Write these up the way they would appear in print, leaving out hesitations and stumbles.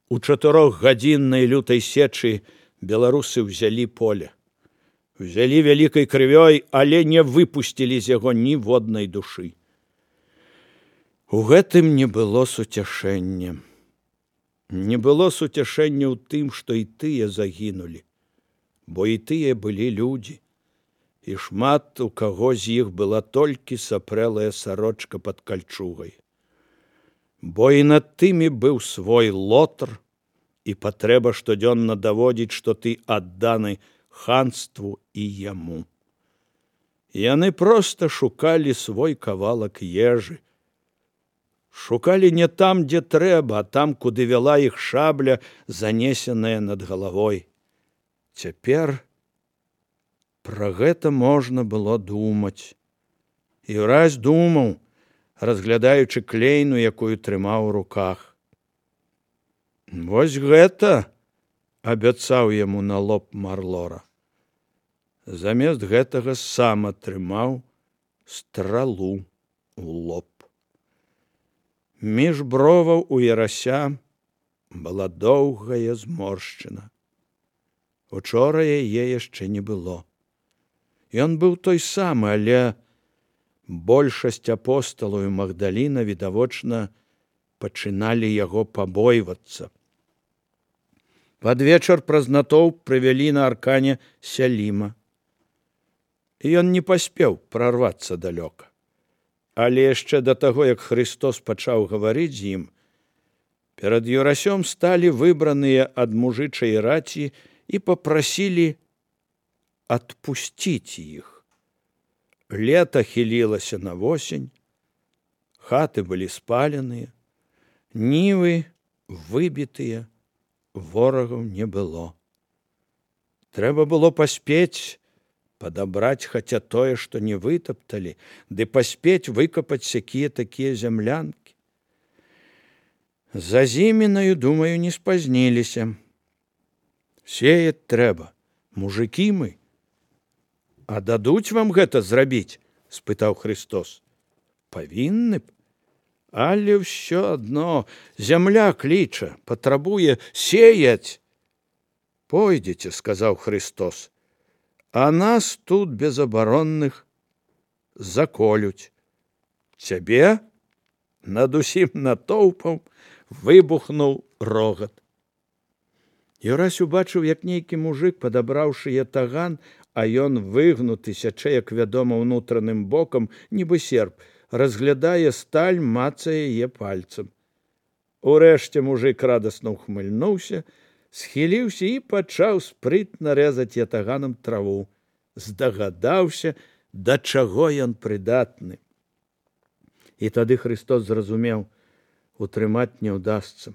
У 4-гадзіннай лютай сечы беларусы ўзялі поле. Узялі вялікай крывёй, але не выпусцілі з яго ніводнай душы. У гэтым не было суцяшэння. Не было суцяшэння ў тым, што і тыя загінулі, бо і тыя былі людзі, і шмат у каго з іх была толькі сапрэлая сарочка пад кальчугай. Бо і над тымі быў свой лотар, і патрэба штодзённа даводзіць, што ты адданы ханству і яму. Яны проста шукалі свой кавалак ежы. Шукалі не там, дзе трэба, а там, куды вяла іх шабля, занесеная над галавой. Цяпер пра гэта можна было думаць. І раз думаў, разглядаючы клейну, якую трымаў у руках. Вось гэта абяцаў яму на лоб Марлора. Замест гэтага сам атрымаў стралу ў лоб. Між броваў у Ярася была доўгая зморшчына. Учора яе яшчэ не было. Ён быў той самы, але большасць апосталаў і Магдаліна, відавочна, пачыналі яго пабойвацца. Пад вечар праз натоўп прывялі на аркане Сяліма. І ён не паспеў прарвацца далёка. Але яшчэ да таго, як Христос пачаў гаварыць з ім, перад Юрасём сталі выбраныя ад мужычай раці і папрасілі адпусціць іх. Лета хілілася на восень, хаты былі спаленыя, нівы выбітыя, ворагаў не было. Трэба было паспець падабраць хаця тое, што не вытапталі, ды паспець выкапаць сякія-такія зямлянкі. За зімінаю, думаю, не спазніліся. Сеяць трэба, мужыкі мы. А дадуць вам гэта зрабіць? — спытаў Христос. Павінны б. Але ўсё адно зямля кліча, патрабуе сеяць. Пойдзеце, — сказаў Христос, — а нас тут безабаронных заколюць. Цябе? Над усім натоўпам выбухнуў рогат. Юрась убачыў, як нейкі мужык, падабраўшы ятаган, а ён выгнуты, сячэ, як вядома, унутраным бокам, нібы серп, разглядае сталь, мацае яе пальцам. Урэшце мужык радасна ухмыльнуўся, схіліўся і пачаў спрытна рэзаць ятаганам траву. Здагадаўся, да чаго ён прыдатны. І тады Христос зразумеў, утрымаць не ўдасца.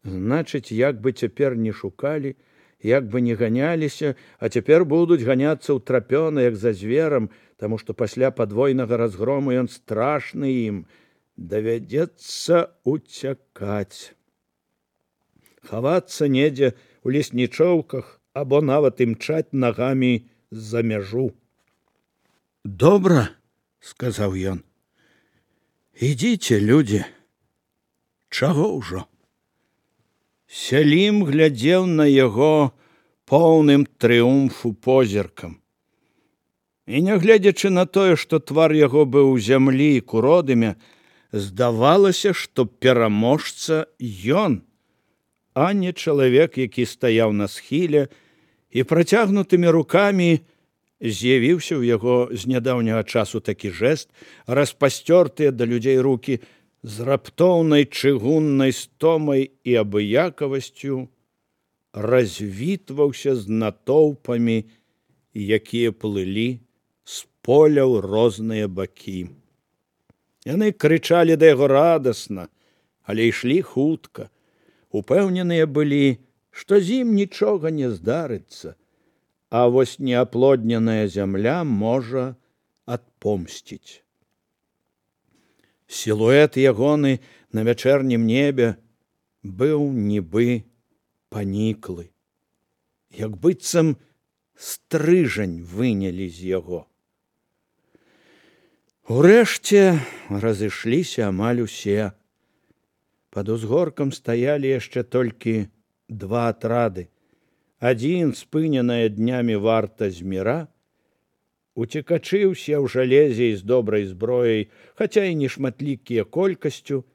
Значыць, як бы цяпер не шукалі, як бы не ганяліся, а цяпер будуць ганяцца ўтрапёна, як за зверам, таму што пасля падвойнага разгрому ён страшны ім. Давядзецца уцякаць. Хавацца недзе ў леснічоўках або нават імчаць нагамі за мяжу. Добра, — сказаў ён. Ідзіце, людзі. Чаго ўжо? Сялім глядзеў на яго поўным трыумфу позіркам. І нягледзячы на тое, што твар яго быў у зямлі і куродымя, здавалася, што пераможца ён, а не чалавек, які стаяў на схіле, і працягнутымі рукамі з'явіўся ў яго з нядаўняга часу такі жэст, распасцёртыя да людзей рукі з раптоўнай чыгуннай стомай і абыякавасцю развітваўся з натоўпамі, якія плылі з поля ў розныя бакі. Яны крычалі да яго радасна, але ішлі хутка. Упэўненыя былі, што з ім нічога не здарыцца, а вось неаплодненая зямля можа адпомсціць. Сілуэт ягоны на вячэрнім небе быў нібы паніклы, як быццам стрыжань вынялі з яго. Урэшце разышліся амаль усе. Пад узгоркам стаялі яшчэ толькі два атрады. Адзін, спыненая днямі варта зміра, уцекачы ўсе ў жалезе і з добрай зброяй, хаця і нешматлікія колькасцю,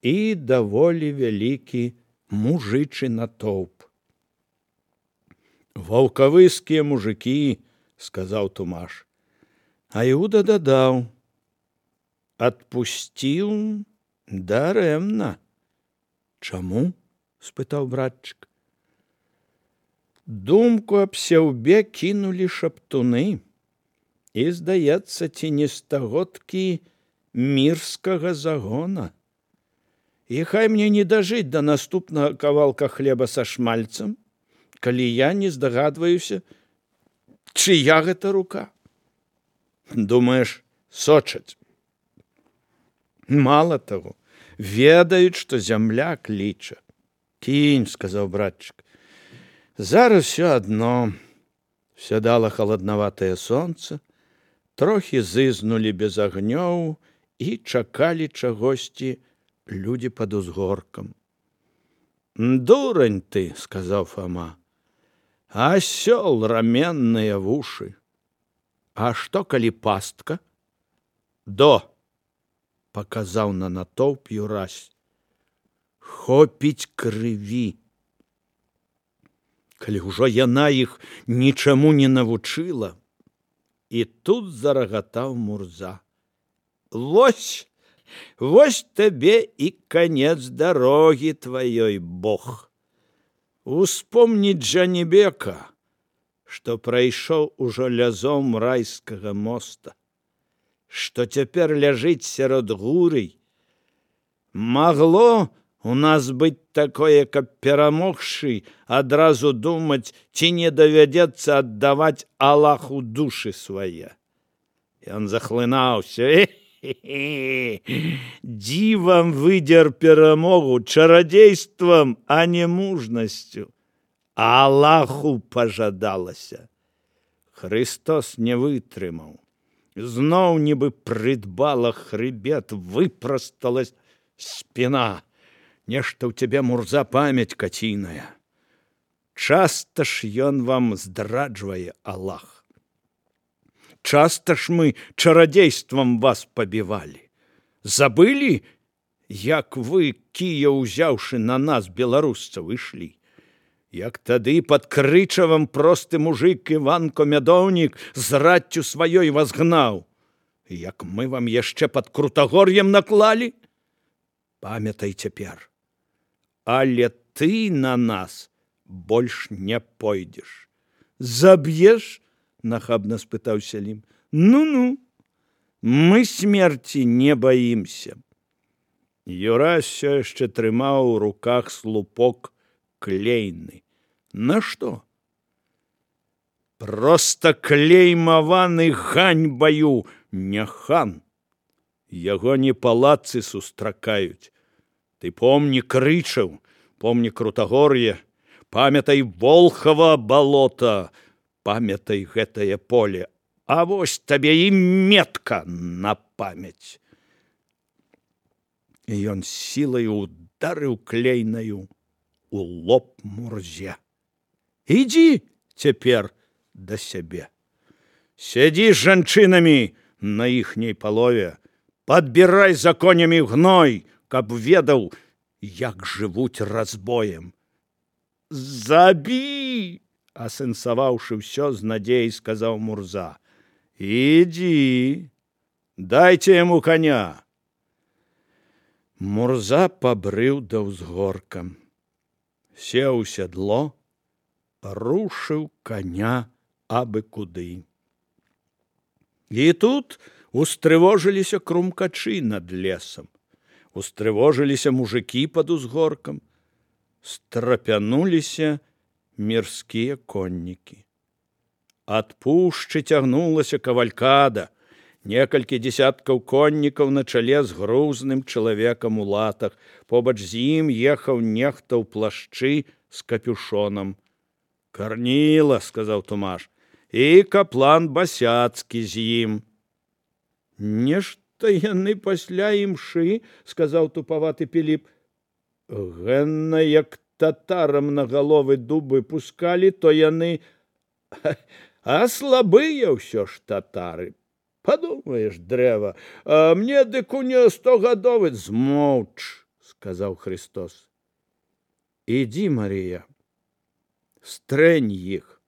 і даволі вялікі мужычы натоўп. «Ваўкавыскія мужыкі», – сказаў Тумаш. А Іуда дадаў: «Адпусціў дарэмна». «Чаму?» – спытаў братчык. Думку аб сяўбе кінулі шаптуны, і, здаецца, ці не стагодкі мірскага загона. І хай мне не дажыць да наступнага кавалка хлеба са шмальцам, калі я не здагадваюся, чыя гэта рука. Думаеш, сочаць? Мала таго, ведаюць, што зямля кліча. «Кінь», – сказаў братчык. Зараз все адно. Сядала халаднаватае сонца, трохі зызнулі без агнёў і чакалі чагосьці людзі пад узгоркам. «Дурань ты», – сказаў Фома, – «асёл раменныя вушы». «А што, калі пастка?» «До», – паказаў на натоўп Юрась. «Хопіць крыві». Калі ўжо яна іх нічаму не навучыла. І тут зарагатаў Мурза. «Вось, вось табе і канец дарогі тваёй, Бог. Успомніць Джанібека, што прайшоў ужо лязом райскага моста, што цяпер ляжыць сярод гурый. Магло у нас быць такое, каб перамогшы адразу думаць, ці не давядзецца аддаваць Аллаху душы свае». Ён захлынаўся. Дзівам выдзер перамогу чарадзействам, а не мужнасцю. Аллаху пажадалася. Христос не вытрымаў. Зноў нібы прыдбала хрыбет, выпрасталась спіна. Нешта ў цябе, Мурза, памяць каціная. Часта ж ён вам здраджвае, Аллах. Часта ж мы чарадзействам вас пабівалі. Забылі, як вы, кія ўзяўшы на нас, беларусцаў, ішлі? Як тады пад Крычавам просты мужык Іванко Мядоўнік з раццю сваёй вас гнаў? Як мы вам яшчэ пад Крутагор'ем наклалі? Памятай цяпер. Але ты на нас больш не пойдзеш. Заб'еш? Нахабна спытаў Сялім. Ну-ну, мы смерці не баімся. Юрась все яшчэ трымаў у руках слупок клейны. На што? Проста клеймаваны ганьбаю, не хан. Яго не палацы сустракаюць. Ты помні Крычаў, помні Крутагор'е, памятай Волхава балота, памятай гэтае поле, а вось табе і метка на памяць. І ён сілай ударыў клейнаю у лоб Мурзе. Ідзі цяпер да сябе. Сядзі з жанчынамі на іхняй палове, падбірай за конямі гной, каб ведаў, як жывуць разбоем. Забі! Асэнсаваўшы ўсё з надзеяй, сказаў Мурза. Ідзі, дайце яму коня. Мурза пабрыў да ўзгорка. Сеў у сядло, рушыў коня абы куды. І тут устрывожыліся крумкачы над лесам. Устрывожыліся мужыкі пад узгоркам, страпянуліся мірскія коннікі. Ад пушчы цягнулася кавалькада, некалькі дзесяткаў коннікаў на чале з грузным чалавекам у латах. Побач з ім ехаў нехта ў плашчы з капюшонам. «Карніла», – сказаў Тумаш, – «і каплан Басяцкі з ім». «Нешта яны пасля імшы», – сказаў тупаваты Піліп, Гэнна, як татарам на галовы дубы пускалі, то яны, а слабыя ўсё ж татары. Падумаеш, дрэва, а мне дык у не 100гадовы. Змоўч, сказаў Христос. Ідзі, Марыя, стрэнь іх.